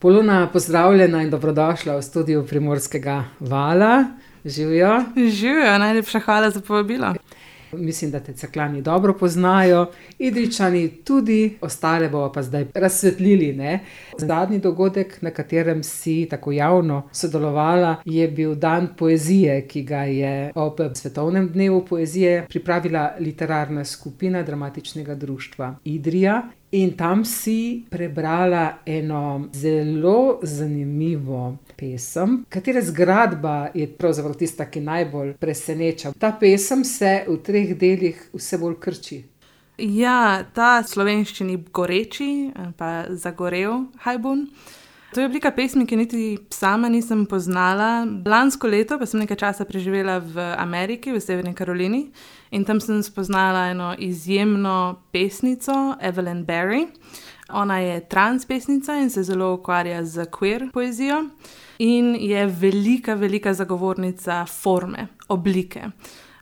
Polona, pozdravljena in dobrodošla v studiu Primorskega vala. Živijo. Živijo, najlepša hvala za povabilo. Mislim, da te Cerkljani dobro poznajo, Idrijčani tudi, ostale bomo pa zdaj razsvetlili, ne. Zadnji dogodek, na katerem si tako javno sodelovala, je bil dan poezije, ki ga je ob svetovnem dnevu poezije pripravila literarna skupina Dramatičnega društva Idrija. In tam si prebrala eno zelo zanimivo pesem, katere zgradba je pravzaprav tista, ki najbolj preseneča. Ta pesem se v 3 delih vse bolj krči. Ja, ta slovenščini goreči, pa zagorel hajbun. To je oblika pesmi, ki niti sama nisem poznala. Lansko leto pa sem nekaj časa preživela v Ameriki, v Severni Karolini, in tam sem spoznala eno izjemno pesnico, Evelyn Berry. Ona je trans pesnica in se zelo ukvarja z queer poezijo in je velika zagovornica forme, oblike.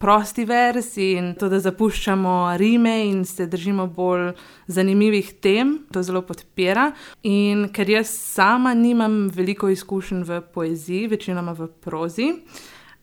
Prosti vers in to, da zapuščamo rime in se držimo bolj zanimivih tem, to zelo podpira. In ker jaz sama nimam veliko izkušenj v poeziji, večinoma v prozi,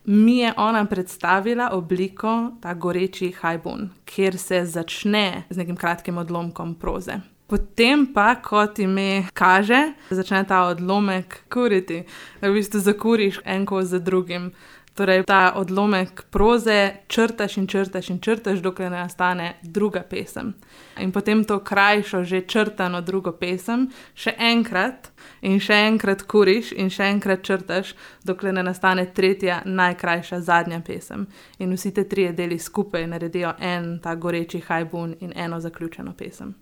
mi je ona predstavila obliko, ta goreči hajbun, kjer se začne z nekim kratkim odlomkom proze. Potem pa, kot ime kaže, začne ta odlomek kuriti. V bistvu zakuriš en kos za drugim. Torej, ta odlomek proze črtaš in črtaš, dokler ne nastane druga pesem. In potem to krajšo, že črtano drugo pesem še enkrat in še enkrat kuriš in še enkrat črtaš, dokler ne nastane tretja, najkrajša, zadnja pesem. In vsi te 3 deli skupaj naredijo en ta goreči hajbun in eno zaključeno pesem.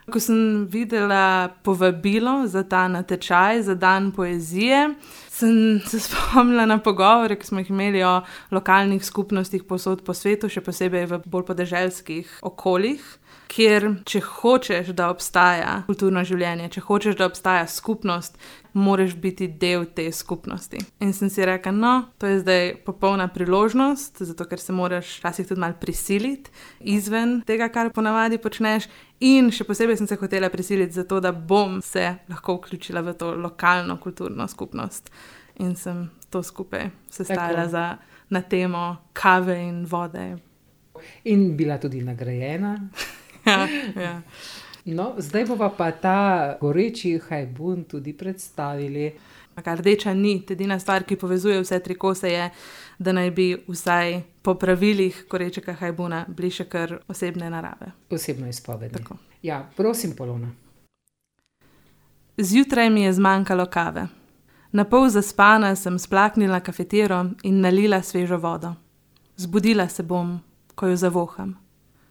Ko sem videla povabilo za ta natečaj, za dan poezije, sem se spomnila na pogovore, ki smo jih imeli o lokalnih skupnostih povsod po svetu, še posebej v bolj podeželskih okoljih, kjer, če hočeš, da obstaja kulturno življenje, če hočeš, da obstaja skupnost, moraš biti del te skupnosti. In sem si rekla, to je zdaj popolna priložnost, zato ker se moraš včasih tudi malo prisiliti izven tega, kar ponavadi počneš. In še posebej sem se hotela prisiliti zato, da bom se lahko vključila v to lokalno kulturno skupnost. In sem to skupaj sestavila na temo kave in vode. In bila tudi nagrajena. Ja. No, zdaj bova pa ta goreči hajbun tudi predstavili. Rdeča nit, edina stvar, ki povezuje vse 3 kose, je, da naj bi vsaj po pravilih gorečega hajbuna bili še kar osebne narave. Osebno izpovedni. Tako. Ja, prosim, Polona. Zjutraj mi je zmanjkalo kave. Napol zaspana sem splaknila kafetero in nalila svežo vodo. Zbudila se bom, ko jo zavoham,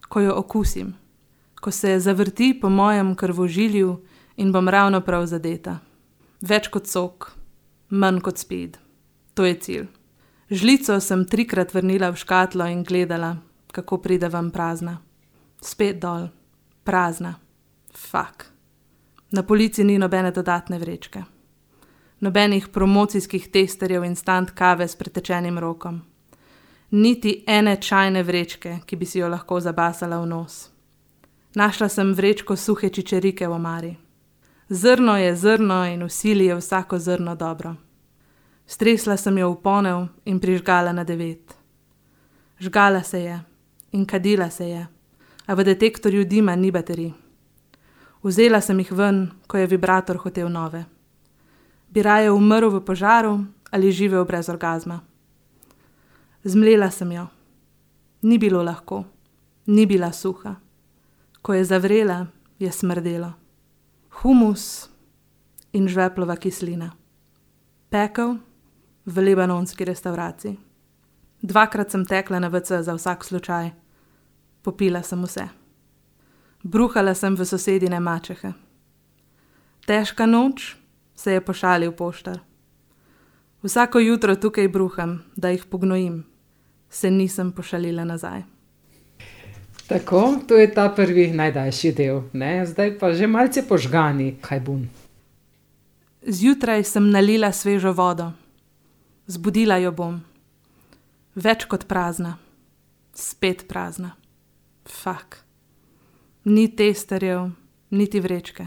ko jo okusim, ko se zavrti po mojem krvožilju in bom ravno prav zadeta. Več kot sok, manj kot speed. To je cilj. Žlico sem 3-krat vrnila v škatlo in gledala, kako pride ven prazna. Spet dol, prazna. Fak. Na polici ni nobene dodatne vrečke. Nobenih promocijskih testerjev instant kave s pretečenim rokom. Niti ene čajne vrečke, ki bi si jo lahko zabasala v nos. Našla sem vrečko suhe čičerike v omari. Zrno je zrno in v sili je vsako zrno dobro. Stresla sem jo v ponev in prižgala na 9. Žgala se je in kadila se je, a v detektorju dima ni baterij. Vzela sem jih ven, ko je vibrator hotel nove. Bi raje umrl v požaru ali živel brez orgazma. Zmlela sem jo. Ni bilo lahko, ni bila suha. Ko je zavrela, je smrdelo. Humus in žveplova kislina. Pekel v libanonski restavraciji. 2-krat sem tekla na WC za vsak slučaj. Popila sem vse. Bruhala sem v sosedine mačehe. Težka noč, se je pošalil poštar. Vsako jutro tukaj bruham, da jih pognojim. Se nisem pošalila nazaj. Tako, to je ta prvi najdaljši del, ne? Zdaj pa že malce požgani hajbun. Zjutraj sem nalila svežo vodo. Zbudila jo bom. Več kot prazna. Spet prazna. Fak. Ni testerjev, niti vrečke.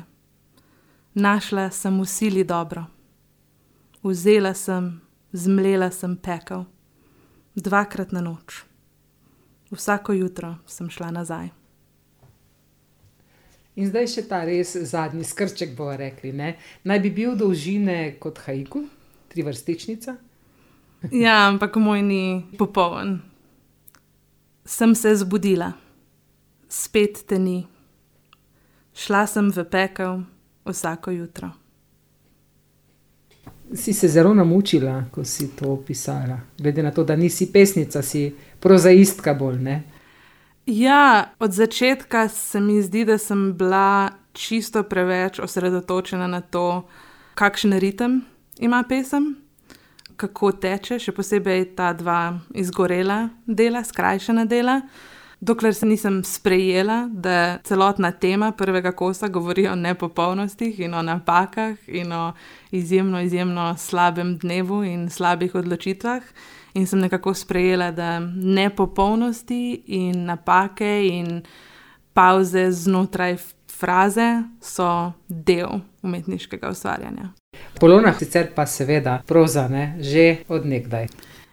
Našla sem v sili dobro. Vzela sem, zmlela sem pekel. 2-krat na noč. Vsako jutro sem šla nazaj. In zdaj še ta res zadnji skrček, bomo rekli, ne? Naj bi bil dolžine kot haiku, 3-vrstičnica. Ja, ampak moj ni popoln. Sem se zbudila. Spet te ni. Šla sem v pekel vsako jutro. Si se zelo namučila, ko si to pisala. Glede na to, da nisi pesnica, si prozaistka bolj, ne? Ja, od začetka se mi zdi, da sem bila čisto preveč osredotočena na to, kakšen ritem ima pesem, kako teče, še posebej ta 2 izgorela dela, skrajšana dela, dokler se nisem sprejela, da celotna tema prvega kosa govori o nepopolnostih in o napakah in o izjemno slabem dnevu in slabih odločitvah. In sem nekako sprejela, da nepopolnosti in napake in pavze znotraj fraze so del umetniškega ustvarjanja. Polona sicer pa seveda proza, ne? Že od nekdaj.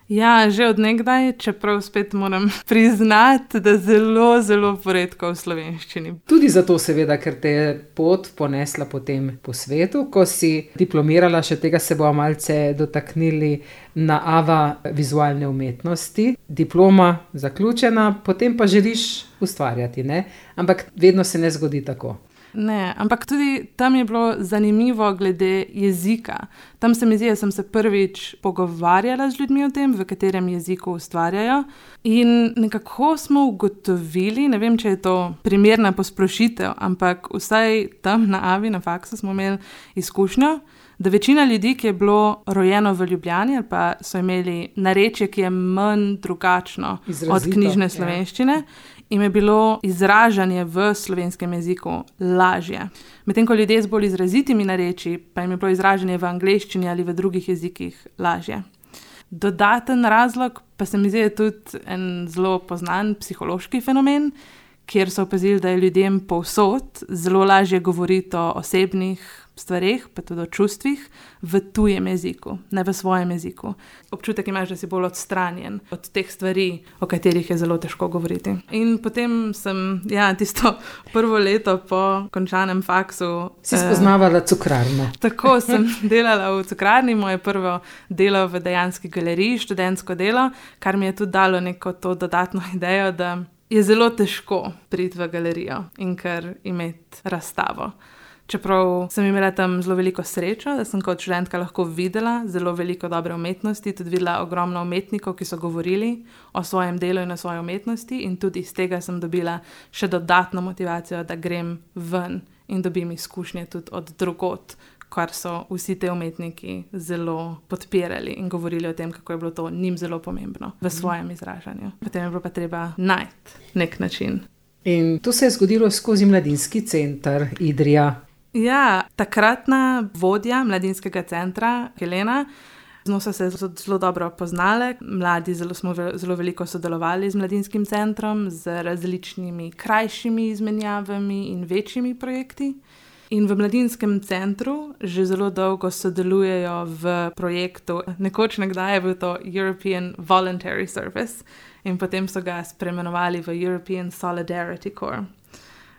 Ja, že od nekdaj, čeprav spet moram priznati, da zelo poredko v slovenščini. Tudi zato seveda, ker te je pot ponesla potem po svetu, ko si diplomirala, še tega se bomo malce dotaknili, na AVA vizualne umetnosti. Diploma zaključena, potem pa želiš ustvarjati, ne? Ampak vedno se ne zgodi tako. Ne, ampak tudi tam je bilo zanimivo glede jezika. Tam se mi zdi, da sem se prvič pogovarjala z ljudmi o tem, v katerem jeziku ustvarjajo. In nekako smo ugotovili, ne vem, če je to primerna posplošitev, ampak vsaj tam na AVI, na faksu smo imeli izkušnjo, da večina ljudi, ki je bilo rojeno v Ljubljani ali pa so imeli narečje, ki je manj drugačno Izrazito, od knjižne slovenščine, jim je bilo izražanje v slovenskem jeziku lažje. Medtem ko ljudje z bolj izrazitimi narečji, pa jim je bilo izražanje v angleščini ali v drugih jezikih lažje. Dodaten razlog pa se mi zdi tudi en zelo poznan psihološki fenomen, kjer so opazili, da je ljudem povsod zelo lažje govoriti o osebnih stvareh, pa tudi o čustvih, v tujem jeziku, ne v svojem jeziku. Občutek imaš, da si bolj odstranjen od teh stvari, o katerih je zelo težko govoriti. In potem sem, tisto prvo leto po končanem faksu... Si spoznavala cukrarno. Tako sem delala v cukrarni, moje prvo delo v dejanski galeriji, študentsko delo, kar mi je tudi dalo neko to dodatno idejo, da je zelo težko priti v galerijo in kar imeti razstavo. Čeprav sem imela tam zelo veliko srečo, da sem kot študentka lahko videla zelo veliko dobre umetnosti, tudi videla ogromno umetnikov, ki so govorili o svojem delu in o svoji umetnosti, in tudi iz tega sem dobila še dodatno motivacijo, da grem ven in dobim izkušnje tudi od drugod, kar so vsi te umetniki zelo podpirali in govorili o tem, kako je bilo to njim zelo pomembno v svojem izražanju. Potem je bilo pa treba najti nek način. In to se je zgodilo skozi Mladinski center Idrija. Ja, takratna vodja Mladinskega centra, Helena, z njo so se zelo dobro poznale. Mladi smo zelo veliko sodelovali z Mladinskim centrom, z različnimi krajšimi izmenjavami in večjimi projekti. In v Mladinskem centru že zelo dolgo sodelujejo v projektu, nekoč nekdaj je bil to European Voluntary Service in potem so ga spremenovali v European Solidarity Corps,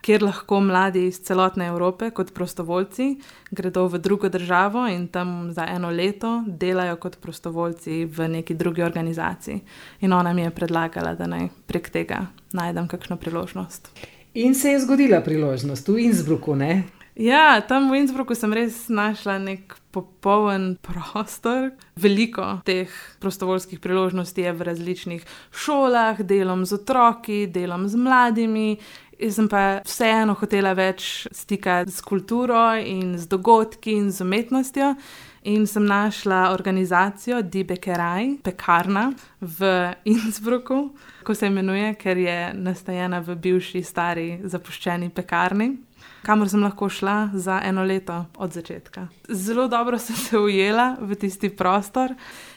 kjer lahko mladi iz celotne Evrope kot prostovoljci gredo v drugo državo in tam za 1 leto delajo kot prostovoljci v neki drugi organizaciji. In ona mi je predlagala, da naj prek tega najdem kakšno priložnost. In se je zgodila priložnost v Innsbrucku, ne? Ja, tam v Innsbrucku sem res našla nek popoln prostor. Veliko teh prostovoljskih priložnosti je v različnih šolah, delom z otroki, delom z mladimi. Jaz sem pa vseeno hotela več stika s kulturo in z dogodki in z umetnostjo. In sem našla organizacijo Die Bäckerei, pekarna v Innsbrucku, ko se imenuje, ker je nastajena v bivši stari zapuščeni pekarni. kamor sem lahko šla za 1 leto od začetka. Zelo dobro sem se ujela v tisti prostor.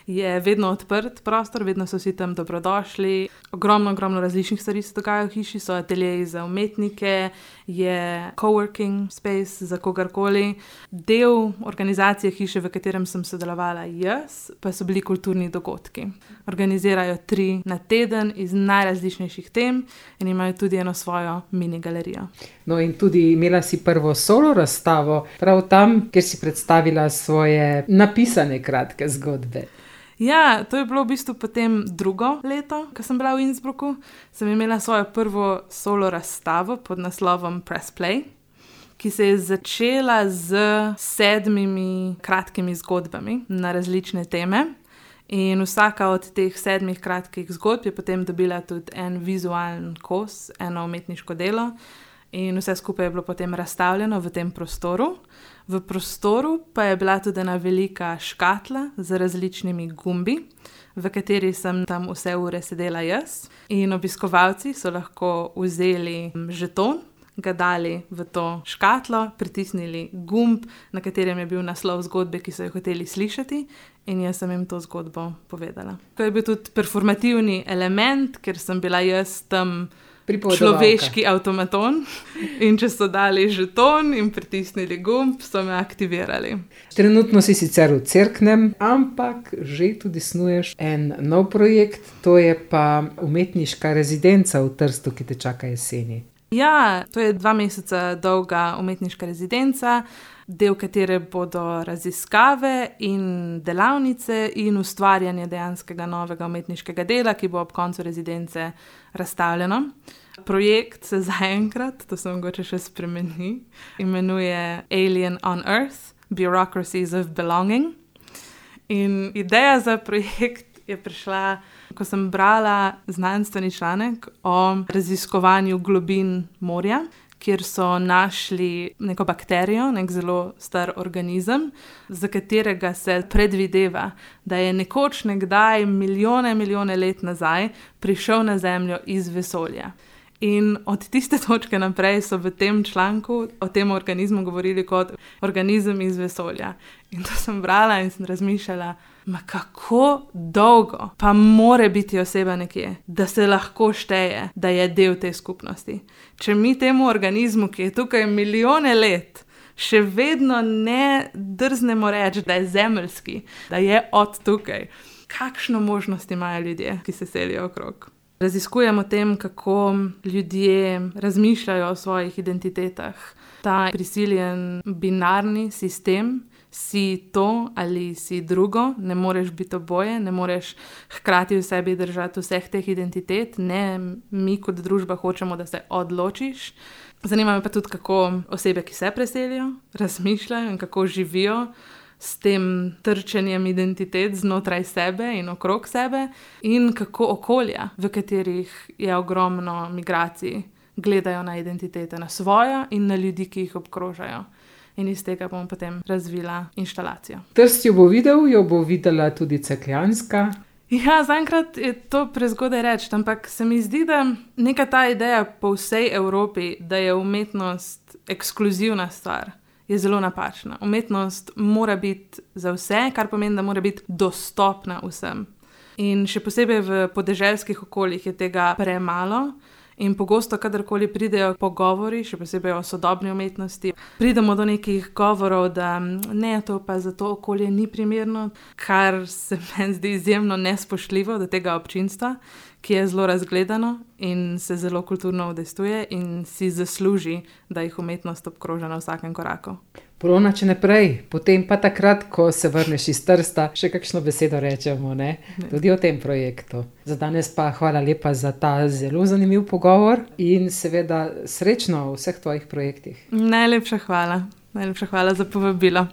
Je vedno odprt prostor, vedno so vsi tam dobrodošli. Ogromno različnih stvari se dogaja v hiši, so ateljeji za umetnike, je coworking space za kogarkoli. Del organizacije hiše, v katerem sem sodelovala jaz, pa so bili kulturni dogodki. Organizirajo 3 na teden iz najrazličnejših tem in imajo tudi eno svojo mini galerijo. No in tudi imela si prvo solo razstavo, prav tam, kjer si predstavila svoje napisane kratke zgodbe. Ja, to je bilo v bistvu potem 2. leto, ko sem bila v Innsbrucku. Sem imela svojo prvo solo razstavo pod naslovom Press Play, ki se je začela z 7 kratkimi zgodbami na različne teme. In vsaka od teh 7 kratkih zgodb je potem dobila tudi en vizualen kos, eno umetniško delo. In vse skupaj je bilo potem razstavljeno v tem prostoru. V prostoru pa je bila tudi ena velika škatla z različnimi gumbi, v kateri sem tam vse ure sedela jaz. In obiskovalci so lahko vzeli žeton, ga dali v to škatlo, pritisnili gumb, na katerem je bil naslov zgodbe, ki so jo hoteli slišati, in jaz sem jim to zgodbo povedala. To je bil tudi performativni element, ker sem bila jaz tam človeški avtomaton in če so dali žeton in pritisnili gumb, so me aktivirali. Trenutno si sicer v Cerknem, ampak že tudi snuješ en nov projekt, to je pa umetniška rezidenca v Trstu, ki te čaka jeseni. Ja, to je 2 meseca dolga umetniška rezidenca, del katere bodo raziskave in delavnice in ustvarjanje dejanskega novega umetniškega dela, ki bo ob koncu rezidence razstavljeno. Projekt se zaenkrat, to se mogoče še spremeni, imenuje Alien on Earth, Bureaucracies of Belonging. In ideja za projekt je prišla, ko sem brala znanstveni članek o raziskovanju globin morja, kjer so našli neko bakterijo, nek zelo star organizem, za katerega se predvideva, da je nekoč nekdaj milijone let nazaj prišel na Zemljo iz vesolja. In od tiste točke naprej so v tem članku o tem organizmu govorili kot organizem iz vesolja. In to sem brala in sem razmišljala, kako dolgo pa more biti oseba nekje, da se lahko šteje, da je del te skupnosti. Če mi temu organizmu, ki je tukaj milijone let, še vedno ne drznemo reči, da je zemeljski, da je od tukaj, kakšno možnost imajo ljudje, ki se selijo okrog. Raziskujem o tem, kako ljudje razmišljajo o svojih identitetah. Ta prisiljen binarni sistem, si to ali si drugo, ne moreš biti oboje, ne moreš hkrati v sebi držati vseh teh identitet, ne, mi kot družba hočemo, da se odločiš. Zanima me pa tudi, kako osebe, ki se preselijo, razmišljajo in kako živijo s tem trčenjem identitet znotraj sebe in okrog sebe in kako okolja, v katerih je ogromno migracij, gledajo na identitete, na svojo in na ljudi, ki jih obkrožajo. In iz tega bom potem razvila inštalacijo. Trst jo bo videl, jo bo videla tudi Cerkljanska. Ja, zaenkrat je to prezgodaj reči, ampak se mi zdi, da neka ta ideja po vsej Evropi, da je umetnost ekskluzivna stvar, je zelo napačna. Umetnost mora biti za vse, kar pomeni, da mora biti dostopna vsem. In še posebej v podeželskih okoljih je tega premalo. In pogosto, kadarkoli pridejo pogovori, še posebej o sodobni umetnosti, pridemo do nekih govorov, da ne, to pa za to okolje ni primerno, kar se meni zdi izjemno nespoštljivo do tega občinstva, ki je zelo razgledano in se zelo kulturno udejstvuje in si zasluži, da jih umetnost obkroža na vsakem koraku. Polona, če ne prej, potem pa takrat, ko se vrneš iz Trsta, še kakšno besedo rečemo, ne? Tudi o tem projektu. Za danes pa hvala lepa za ta zelo zanimiv pogovor in seveda srečno v vseh tvojih projektih. Najlepša hvala za povabilo.